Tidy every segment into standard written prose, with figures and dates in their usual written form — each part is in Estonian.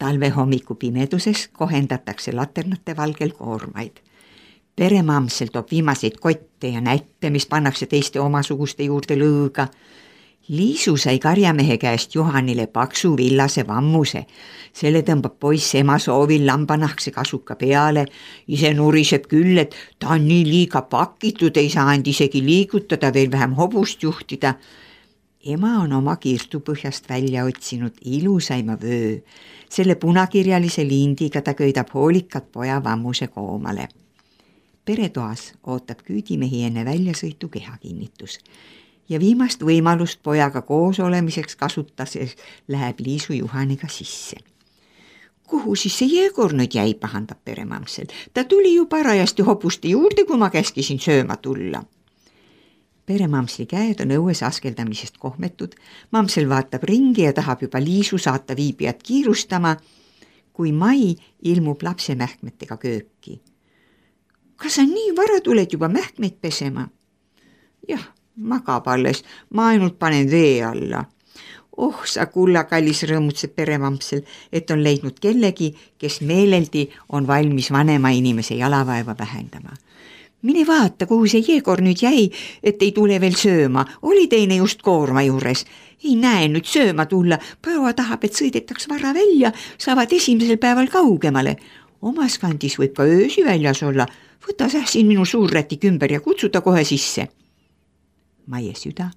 Talve hommiku pimeduses kohendatakse laternate valgel koormaid. Peremamsel toob viimaseid kotte ja näppe, mis pannakse teiste omasuguste juurde lõõga. Liisu sai karjamehe käest Juhanile paksu villase vammuse. Selle tõmbab poiss ema soovil lambanahkse kasuka peale. Ise nuriseb küll, et ta on nii liiga pakitud, ei saanud isegi liigutada, veel vähem hobust juhtida. Ema on oma kirstupõhjast välja otsinud ilusaima vöö. Selle punakirjalise lindiga ta köidab hoolikalt poja vammuse koomale. Peretoas ootab küüdimehi enne väljasõitu kehakinnitus ja viimast võimalust pojaga koos olemiseks kasutades läheb Liisu Juhaniga sisse. Kuhu siis see Jegor nüüd jäi, pahandab peremamsel. Ta tuli ju parajasti hobuste juurde, kui ma käskisin sööma tulla. Peremamsli käed on õues askeldamisest kohmetud. Mamsel vaatab ringi ja tahab juba Liisu saata viibijat kiirustama, kui Mai ilmub lapse mähkmetega kööki. Kas sa nii vara tuled juba mähkmeid pesema? Jah, magab alles, ma ainult panen vee alla. Oh, sa kulla kallis, rõõmutseb peremamsel, et on leidnud kellegi, kes meeleldi on valmis vanema inimese jalavaeva vähendama. Mine vaata, kuhu see Jegor nüüd jäi, et ei tule veel sööma. Oli teine just koorma juures. Ei näe nüüd sööma tulla. Proua tahab, et sõidetaks vara välja, saavad esimesel päeval kaugemale. Omas kandis võib ka öösi väljas olla. Võta sähsin minu suurrätik ümber ja kutsuta kohe sisse. Maie süda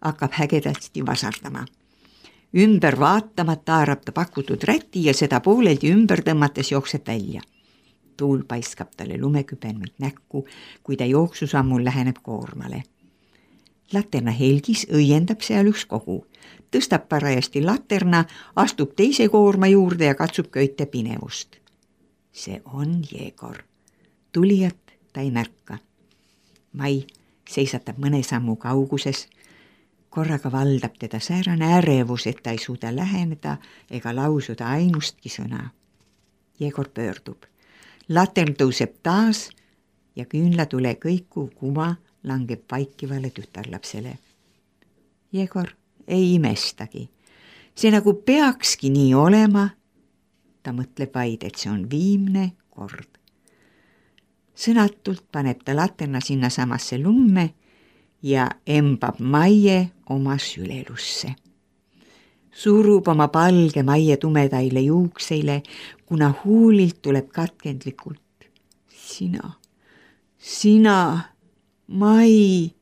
hakkab hägedasti vasardama. Ümber vaatamata haarab ta pakutud räti ja seda pooleldi ümber tõmmates jookseb välja. Tuul paiskab talle lumekübenmeid näkku, kui ta jooksusammul läheneb koormale. Laterna helgis õiendab seal üks kogu. Tõstab parajasti laterna, astub teise koorma juurde ja katsub köite pinevust. See on Jegor. Tulijat ta ei märka. Mai seisatab mõne sammu kauguses. Korraga valdab teda säärane ärevus, et ta ei suuda läheneda ega lausuda ainustki sõna. Jegor pöördub. Latern tõuseb taas ja küünlatule kõikuv kuva langeb vaikivale tütarlapsele. Jegor ei imestagi. See nagu peakski nii olema. Ta mõtleb vaid, et see on viimne kord. Sõnatult paneb ta laterna sinna samasse lumme ja embab Maie oma sülelusse. Surub oma palge Maie tumedaile juukseile, kuna huulilt tuleb katkendlikult. Sina, Mai.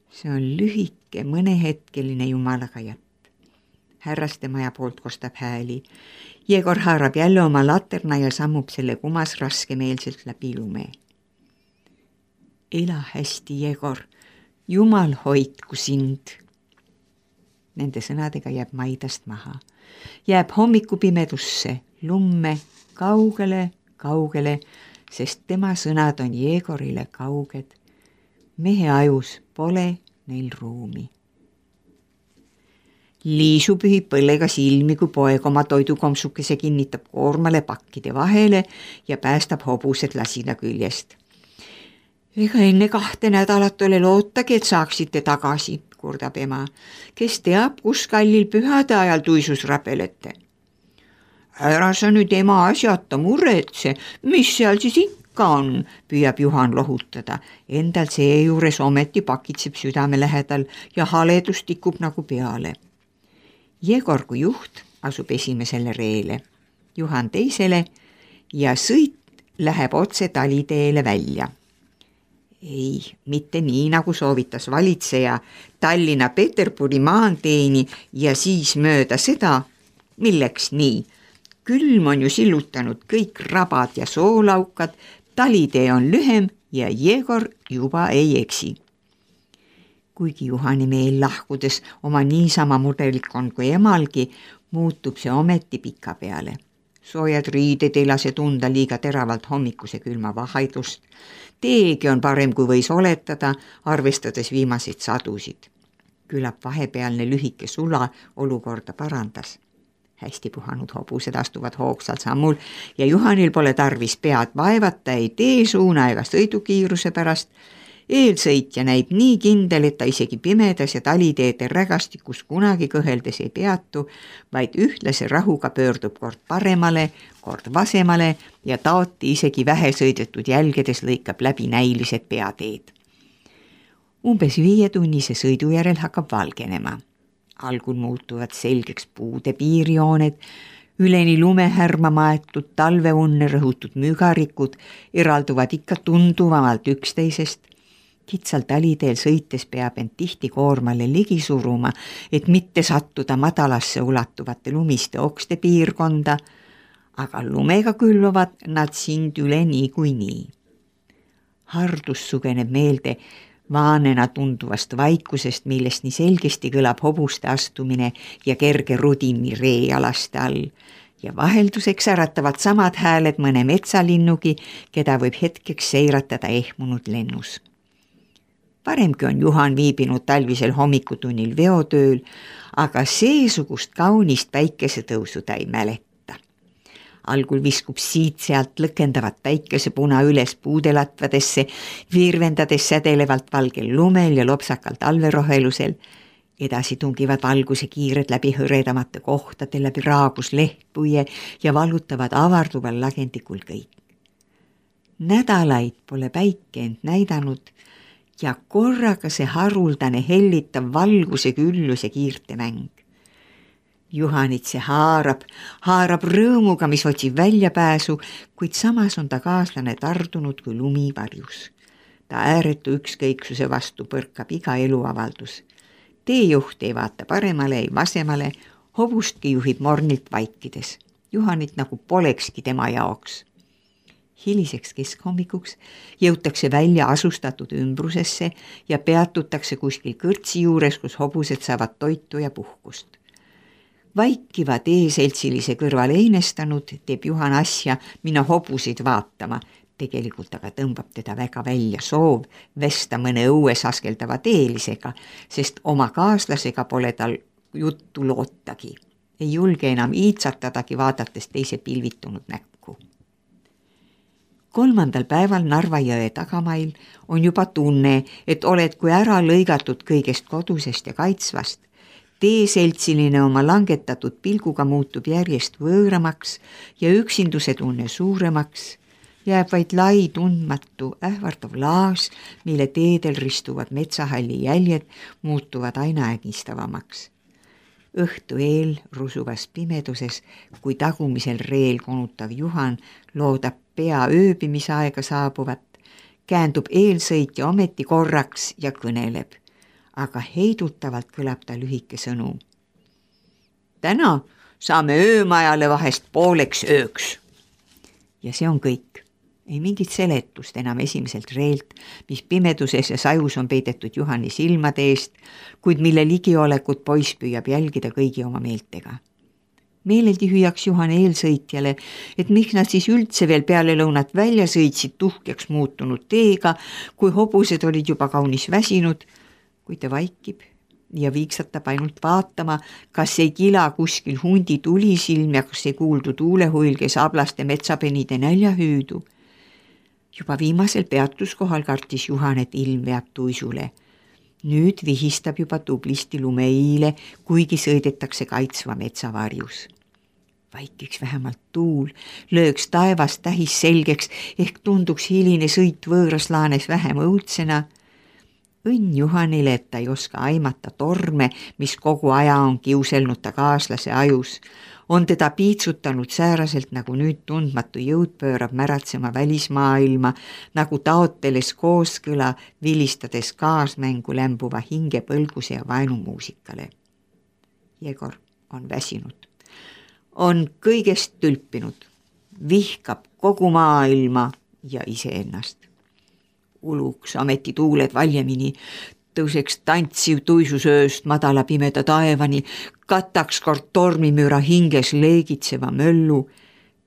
See on lühike, mõnehetkeline jumalaga jatt. Härraste maja poolt kostab hääli. Jegor haarab jälle oma laterna ja sammub selle kumas raskemeelselt läbi lume. Ela hästi, Jegor. Jumal hoidku sind. Nende sõnadega jääb Maidast maha. Jääb hommikupimedusse, lumme, kaugele, sest tema sõnad on Jegorile kauged. Mehe ajus pole neil ruumi. Liisu pühib põllega silmi, kui poeg oma toidukomsukese kinnitab koormale pakkide vahele ja päästab hobused lasina küljest. Ega enne 2 nädalat ole lootagi, et saaksite tagasi, kurdab ema. Kes teab, kus kallil pühade ajal tuisus rapelete. Ära sa nüüd ema asjata muretse, mis seal siis ikka on, püüab Juhan lohutada. Endal seejuures ometi pakitseb südame lähedal ja haledus tikub nagu peale. Jegor kui juht asub esimesele reele, Juhan teisele ja sõit läheb otse taliteele välja. Ei, mitte nii, nagu soovitas valitseja Tallinna Peterburi maanteeni ja siis mööda seda, milleks nii. Külm on ju sillutanud kõik rabad ja soolaukad, talitee on lühem ja Jegor juba ei eksi. Kuigi Juhani meel lahkudes oma niisama mudelik on kui emalgi, muutub see ometi pika peale. Soojad riided ei lase tunda liiga teravalt hommikuse külma vahaidust. Teegi on parem, kui võis oletada, arvestades viimaseid sadusid. Küllap vahepealne lühike sula olukorda parandas. Hästi puhanud hobused astuvad hoogsal sammul ja Juhanil pole tarvis pead vaevata ei teesuuna ega sõidukiiruse pärast. Eelsõitja näib nii kindel, et ta isegi pimedas ja taliteede rägastikus kunagi kõheldes ei peatu, vaid ühtlase rahuga pöördub kord paremale, kord vasemale ja taoti isegi vähesõidetud jälgedes lõikab läbi näilised peateed. Umbes 5-tunnise sõidu järel hakkab valgenema. Algul muutuvad selgeks puude piirjooned, üleni lumehärma maetud talveunne rõhutud mügarikud eralduvad ikka tunduvamalt üksteisest. Kitsal taliteel sõites peab end tihti koormale ligi suruma, et mitte sattuda madalasse ulatuvate lumiste okste piirkonda, aga lumega külvavad nad sind üle niikuinii. Hardus sugeneb meelde vaanena tunduvast vaikusest, millest nii selgesti kõlab hobuste astumine ja kerge rudini reealaste all ja vahelduseks äratavad samad hääled mõne metsalinnugi, keda võib hetkeks seiratada ehmunud lennus. Paremgi on Juhan viibinud talvisel hommikutunnil veotööl, aga seesugust kaunist päikesetõusu ta ei mäleta. Algul viskub siit-sealt lõkendavat päikesepuna üles puudelatvadesse, virvendades sädelevalt valgel lumel ja lopsakal talverohelusel. Edasi tungivad valguse kiired läbi hõredamate kohtade, läbi raagus lehtpuie ja valutavad avarduval lagendikul kõik. Nädalaid pole päike end näidanud ja korraga see haruldane hellitav valguse küllus ja kiirte mäng. Juhanit see haarab rõõmuga, mis otsib väljapääsu, kuid samas on ta kaaslane tardunud kui lumi varjus. Ta ääretu ükskõiksuse vastu põrkab iga eluavaldus. Teejuht ei vaata paremale ei vasemale, hobustki juhib mornilt vaikides. Juhanit nagu polekski tema jaoks. Hiliseks keskhommikuks jõutakse välja asustatud ümbrusesse ja peatutakse kuskil kõrtsi juures, kus hobused saavad toitu ja puhkust. Vaikiva teeseltsilise kõrval einestanud teeb Juhan asja minna hobusid vaatama, tegelikult aga tõmbab teda väga välja soov vesta mõne õues askeldava teelisega, sest oma kaaslasega pole tal juttu lootagi. Ei julge enam iitsatadagi vaadates teise pilvitunud näkku. 3. päeval Narva jõe tagamail on juba tunne, et oled kui ära lõigatud kõigest kodusest ja kaitsvast. Teeseltsiline oma langetatud pilguga muutub järjest võõramaks ja üksinduse tunne suuremaks. Jääb vaid lai tundmatu ähvardav laas, mille teedel ristuvad metsahalli jäljed muutuvad aina ägistavamaks. Õhtu eel rusuvas pimeduses, kui tagumisel reel konutav Juhan loodab pea ööbimisaega saabuvat, käändub eelsõitja ometi korraks ja kõneleb, aga heidutavalt kõlab ta lühike sõnu. Täna saame öömajale vahest pooleks ööks. Ja see on kõik. Ei mingit seletust enam esimeselt reelt, mis pimeduses ja sajus on peidetud Juhani silmade eest, kuid mille ligiolekut poiss püüab jälgida kõigi oma meeltega. Meeleldi hüüaks Juhan eelsõitjale, et miks nad siis üldse veel peale lõunat välja sõitsid tuhkeks muutunud teega, kui hobused olid juba kaunis väsinud, kui ta vaikib ja viiksatab ainult vaatama, kas ei kila kuskil hundi tulisilm ja kas ei kuuldu tuulehuilge sablaste metsapenide näljahüüdu. Juba viimasel peatuskohal kartis Juhan, et ilm veab tuisule. Nüüd vihistab juba tublisti lumeiile, kuigi sõidetakse kaitsva metsavarjus. Vaikiks vähemalt tuul, lööks taevast tähis selgeks, ehk tunduks hiline sõit võõras laanes vähem õudsena. Õnn Juhanile, et ta ei oska aimata torme, mis kogu aja on kiuselnud ta kaaslase ajus. On teda piitsutanud sääraselt, nagu nüüd tundmatu jõud pöörab märatsema välismaailma, nagu taoteles kooskõla, vilistades kaasmängu lämbuva hingepõlguse ja vaenumuusikale. Jegor on väsinud. On kõigest tülpinud. Vihkab kogu maailma ja iseennast. Uluks ameti tuuled valjemini, tõuseks tantsiv tuisusööst madala pimeda taevani, kataks kord tormimüra hinges leegitseva möllu,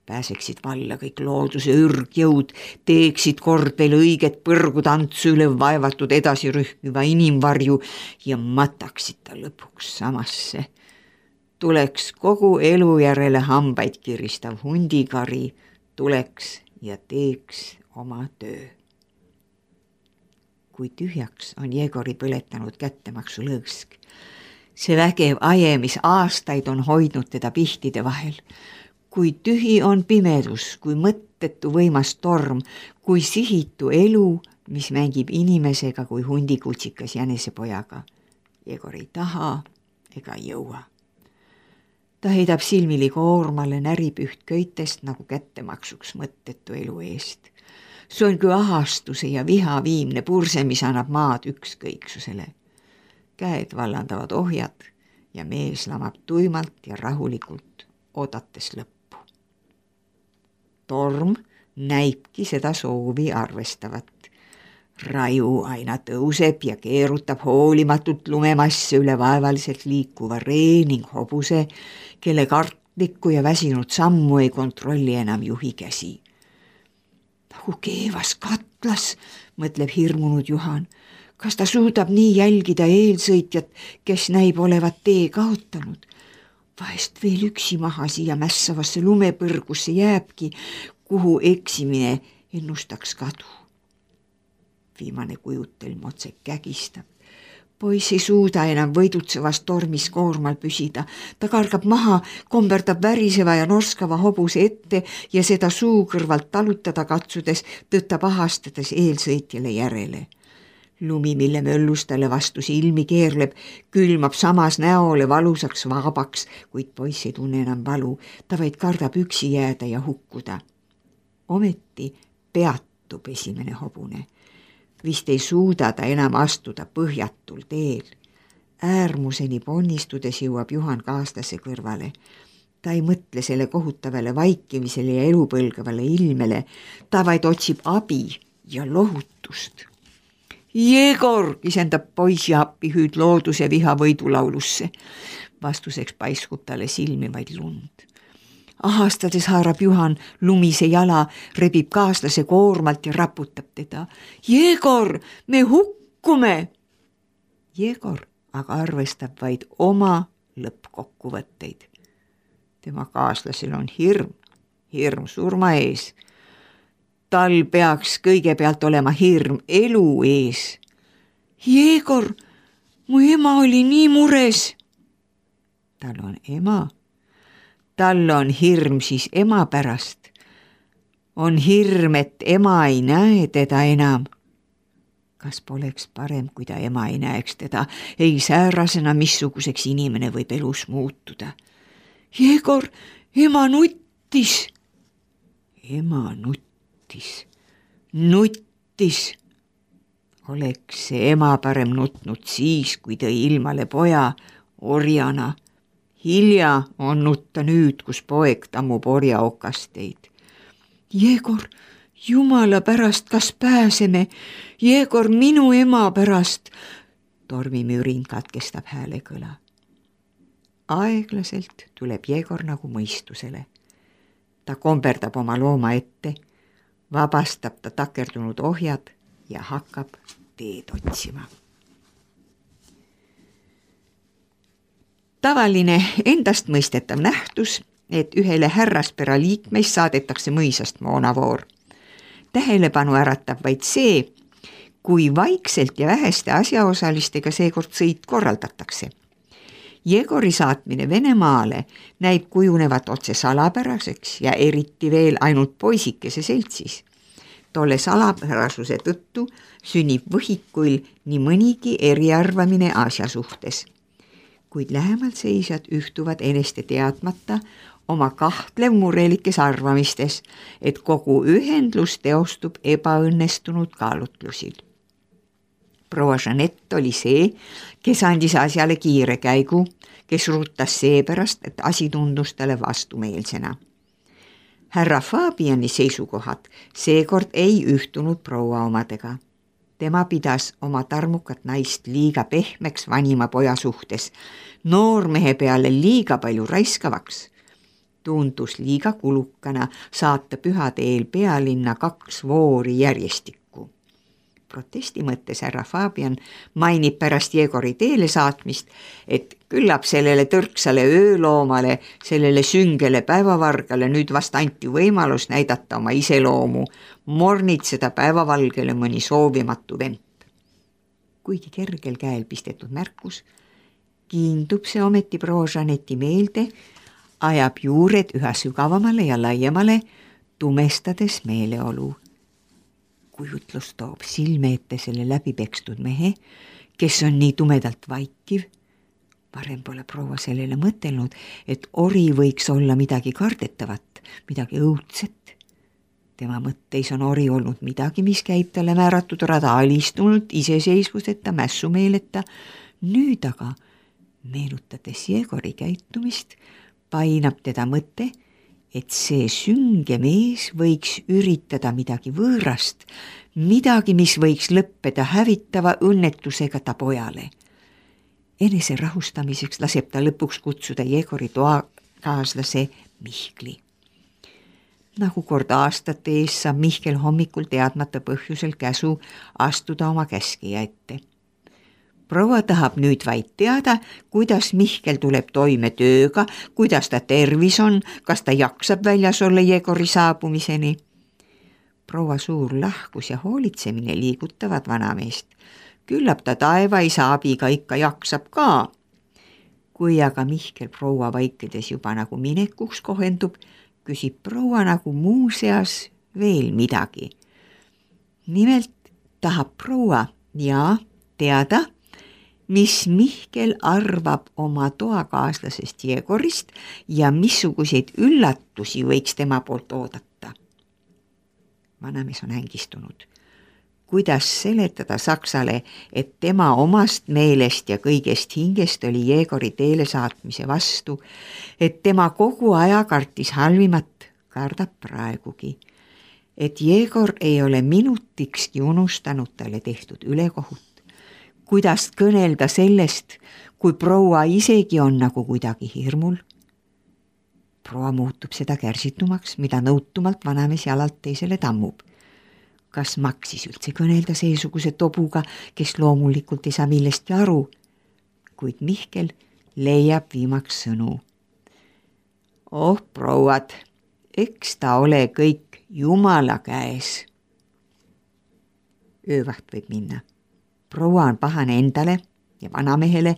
pääseksid valla kõik looduse ürgjõud, teeksid kord veel õiget põrgutantsu üle vaevatud edasi rühkiva inimvarju ja mataksid ta lõpuks samasse. Tuleks kogu elu järele hambaid kiristav hundikari, tuleks ja teeks oma töö. kui tühjaks on Jegori põletanud kättemaksu lõõsk. See vägev aje, mis aastaid on hoidnud teda pihtide vahel. Kui tühi on pimedus, kui mõttetu võimas torm, kui sihitu elu, mis mängib inimesega kui hundikutsikas jänesepojaga. Jegor ei taha ega jõua. Ta heidab silmili koormale, närib üht köitest nagu kättemaksuks mõttetu elu eest. See on kui ahastuse ja viha viimne purse, mis annab maad ükskõiksusele. Käed vallandavad ohjad ja mees lamab tuimalt ja rahulikult, oodates lõppu. Torm näibki seda soovi arvestavat. Raju aina tõuseb ja keerutab hoolimatult lumemasse üle vaevaliselt liikuva ree ning hobuse, kelle kartlikku ja väsinud sammu ei kontrolli enam juhi käsi. Nagu keevas katlas, mõtleb hirmunud Juhan. Kas ta suudab nii jälgida eelsõitjat, kes näib olevat tee kaotanud? Vahest veel üksi maha siia mässavasse lumepõrgusse jääbki, kuhu eksimine ennustaks kadu. Viimane kujutelm otse kägistab. Poiss ei suuda enam võidutsevas tormis koormal püsida. Ta kargab maha, komberdab väriseva ja norskava hobuse ette ja seda suu kõrvalt talutada katsudes tõttab ahastades eelsõitjale järele. Lumi, mille möllus talle vastu silmi keerleb, külmab samas näole valusaks vabaks, kuid poiss ei tunne enam valu. Ta vaid kardab üksi jääda ja hukkuda. Ometi peatub esimene hobune. Vist ei suuda ta enam astuda põhjatul teel. Äärmuseni ponnistudes jõuab Juhan kaaslase kõrvale. Ta ei mõtle selle kohutavale vaikimisele ja elupõlgavale ilmele. Ta vaid otsib abi ja lohutust. Jegor, kisendab poisi appihüüd looduse viha võidulaulusse. Vastuseks paiskub talle silmi vaid lund. Ahastades haarab Juhan lumise jala, rebib kaaslase koormalt ja raputab teda. Jegor, me hukkume! Jegor aga arvestab vaid oma lõppkokkuvõtteid. Tema kaaslasel on hirm surma ees. Tal peaks kõigepealt olema hirm elu ees. Jegor, mu ema oli nii mures. Tal on ema. Tal on hirm siis ema pärast. On hirm, et ema ei näe teda enam. Kas poleks parem, kui ta ema ei näeks teda, ei säärasena, missuguseks inimene võib elus muutuda? Jegor, ema nuttis. Ema nuttis. Oleks see ema parem nutnud siis, kui tõi ilmale poja orjana. Hilja on nutta nüüd, kus poeg tammub orja okasteid. Jegor, jumala pärast, kas pääseme? Jegor, minu ema pärast. Tormimürin katkestab hääle kõla. Aeglaselt tuleb Jegor nagu mõistusele. Ta komberdab oma looma ette, vabastab ta takerdunud ohjad ja hakkab teed otsima. Tavaline endastmõistetav nähtus, et ühele härraspera liikmeist saadetakse mõisast moonavoor. Tähelepanu äratab vaid see, kui vaikselt ja väheste asjaosalistega seekord sõit korraldatakse. Jegori saatmine Venemaale näib kujunevat otse salapäraseks ja eriti veel ainult poisikese seltsis. Tolle salapärasuse tõttu sünnib võhikuil nii mõnigi eriarvamine asja suhtes. Kuid lähemalt seisjad ühtuvad eneste teadmata oma kahtlev murelikes arvamistes, et kogu ühendlus teostub ebaõnnestunud kaalutlusil. Proua Jeanette oli see, kes andis asjale kiire käigu, kes rutas seepärast, et asi tundus talle vastumeelsena. Härra Fabiani seisukohad seekord ei ühtunud proua omadega. Tema pidas oma tarmukat naist liiga pehmeks vanima poja suhtes, noormehe peale liiga palju raiskavaks. Tundus liiga kulukana saata pühade eel pealinna 2 voori järjestikku. Protesti mõttes härra Fabian mainib pärast Jegori teele saatmist, et küllap sellele tõrksale ööloomale, sellele süngele päevavargale nüüd vast anti võimalus näidata oma iseloomu, mornitseda päevavalgele mõni soovimatu vemp. kuigi kergel käel pistetud märkus, kiindub see ometi proua Jeaneti meelde, ajab juured üha sügavamale ja laiemale, tumestades meeleolu. Kujutlus toob silme ette selle läbipekstud mehe, kes on nii tumedalt vaikiv. Varem pole proua sellele mõtelnud, et ori võiks olla midagi kardetavat, midagi õudset. Tema mõtteis on ori olnud midagi, mis käib talle määratud rada alistunult, iseseisvuseta, mässumeeleta. Nüüd aga, meenutades Jegori käitumist, painab teda mõte, et see sünge mees võiks üritada midagi võõrast, midagi, mis võiks lõppeda hävitava õnnetusega ta pojale. Enese rahustamiseks laseb ta lõpuks kutsuda Jegori toakaaslase Mihkli. Nagu kord aastate ees saab Mihkel hommikul teadmata põhjusel käsu astuda oma käskija ette. Proua tahab nüüd vaid teada, kuidas Mihkel tuleb toime tööga, kuidas ta tervis on, kas ta jaksab väljas olla Jegori saabumiseni. Proua suur lahkus ja hoolitsemine liigutavad vanameest. Küllap ta taevaisa abiga ikka jaksab ka. Kui aga Mihkel proua vaikides juba nagu minekuks kohendub, küsib proua nagu muuseas veel midagi. Nimelt tahab proua teada, mis Mihkel arvab oma toakaaslasest Jegorist ja missuguseid üllatusi võiks tema poolt oodata. Vanamees on ängistunud. Kuidas seletada Saksale, et tema omast meelest ja kõigest hingest oli Jegori teele saatmise vastu, et tema kogu aja kartis halvimat, kardab praegugi, et Jegor ei ole minutikski unustanud talle tehtud ülekohut, kuidas kõnelda sellest, kui proua isegi on nagu kuidagi hirmul. Proua muutub seda kärsitumaks, mida nõutumalt vanamees jalalt teisele tammub. Kas maksis üldse kõnelda seesuguse tobuga, kes loomulikult ei saa millestki aru, kuid Mihkel leiab viimaks sõnu. Oh, prouad, eks ta ole kõik Jumala käes. Öövaht võib minna. Proua on pahane endale ja vanamehele,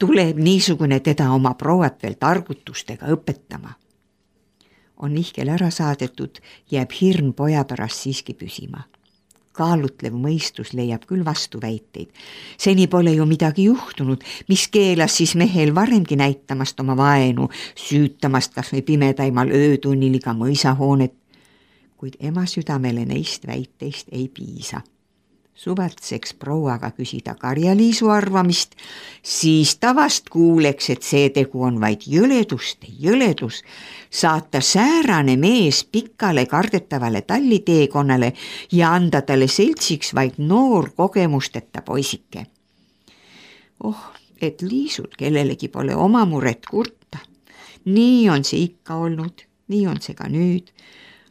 tuleb niisugune teda oma prouat veel targutustega õpetama. On Mihkel ära saadetud, jääb hirm poja pärast siiski püsima. Kaalutlev mõistus leiab küll vastuväiteid. Seni pole ju midagi juhtunud, mis keelas siis mehel varemgi näitamast oma vaenu, süütamast kas või pimedaimal öötunnil iga mõisahoonet, kuid ema südamele neist väiteist ei piisa. Suvatseks prouaga küsida Karja-Liisu arvamist, siis ta vast kuuleks, et see tegu on vaid jõledus, saata säärane mees pikale kardetavale talliteekonnale ja anda talle seltsiks vaid noor kogemusteta poisike. Oh, et Liisul kellelegi pole oma muret kurta. Nii on see ikka olnud, nii on see ka nüüd.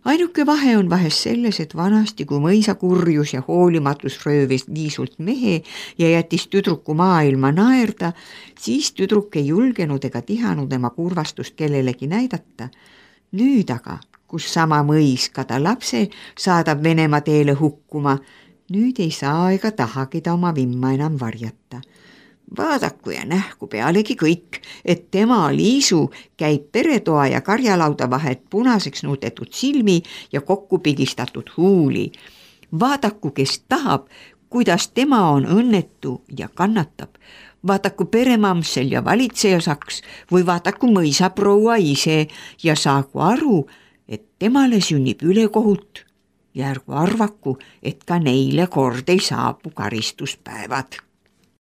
Ainuke vahe on vahest selles, et vanasti, kui mõisa kurjus ja hoolimatus röövis Liisult mehe ja jättis tüdruku maailma naerda, siis tüdruk ei julgenud ega tihanud tema kurvastust kellelegi näidata. Nüüd aga, kus sama mõis ka ta lapse saadab Venemaa teele hukkuma, nüüd ei saa ega tahagi ta oma vimma enam varjata. Vaadaku ja nähku pealegi kõik, et tema Liisu käib peretoa ja karjalauda vahet punaseks nuudetud silmi ja kokku pigistatud huuli. Vaadaku, kes tahab, kuidas tema on õnnetu ja kannatab. Vaadaku peremamsel ja valitsejasaks või vaadaku mõisaproua ise ja saagu aru, et temale sünnib ülekohut ja ärgu arvaku, et ka neile kord ei saabu karistuspäevad.